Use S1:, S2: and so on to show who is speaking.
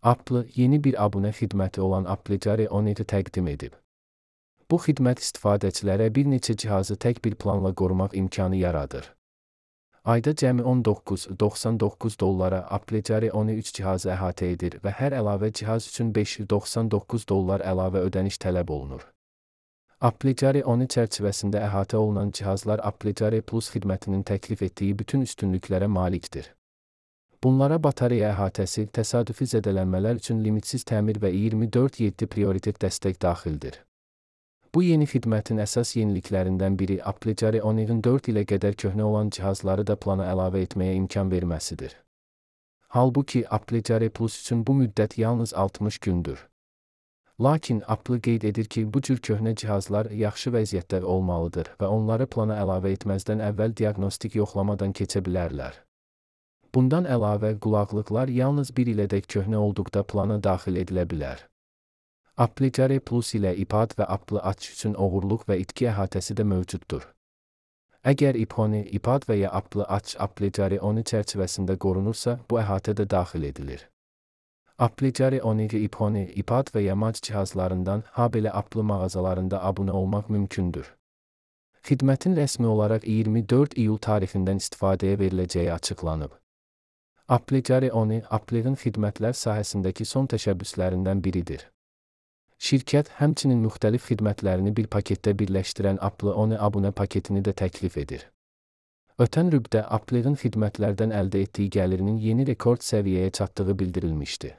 S1: Apple yeni bir abunə xidməti olan Applegate On-ı təqdim edib. Bu xidmət istifadəçilərə bir neçə cihazı tək bir planla qorumaq imkanı yaradır. Ayda cəmi $19.99 Applegate On-ı 3 cihazı əhatə edir və hər əlavə cihaz üçün $599 əlavə ödəniş tələb olunur. Applegate On-ı çərçivəsində əhatə olunan cihazlar Applegate Plus xidmətinin təklif etdiyi bütün üstünlüklərə malikdir. Bunlara batareya əhatəsi, təsadüfi zədələnmələr üçün limitsiz təmir və 24/7 prioritet dəstək daxildir. Bu yeni xidmətin əsas yeniliklərindən biri Applegate On-ın 4 ilə qədər köhnə olan cihazları da plana əlavə etməyə imkan verməsidir. Halbuki Applegate Plus üçün bu müddət yalnız 60 gündür. Lakin Apple qeyd edir ki, bu cür köhnə cihazlar yaxşı vəziyyətdə olmalıdır və onları plana əlavə etməzdən əvvəl diaqnostik yoxlamadan keçə bilərlər. Bundan əlavə, qulaqlıqlar yalnız 1 ilədək köhnə olduqda plana daxil edilə bilər. Applegate Plus ilə iPad və Apple Watch üçün oğurluq və itki əhatəsi də mövcuddur. Əgər iPhone, iPad və ya Apple Watch Applegate On-ı çərçivəsində qorunursa, bu əhatə də daxil edilir. Applegate On-ı iPhone, iPad və ya Mac cihazlarından, habelə Apple mağazalarında abunə olmaq mümkündür. Xidmətin rəsmi olaraq 24 iyul tarixindən istifadəyə veriləcəyi açıqlanıb. Applegate On-ı Apple'ın xidmətlər sahəsindəki son təşəbbüslərindən biridir. Şirkət həmçinin müxtəlif xidmətlərini bir paketdə birləşdirən Apple On abunə paketini də təklif edir. Ötən rübdə Apple'ın xidmətlərdən əldə etdiyi gəlirinin yeni rekord səviyyəyə çatdığı bildirilmişdi.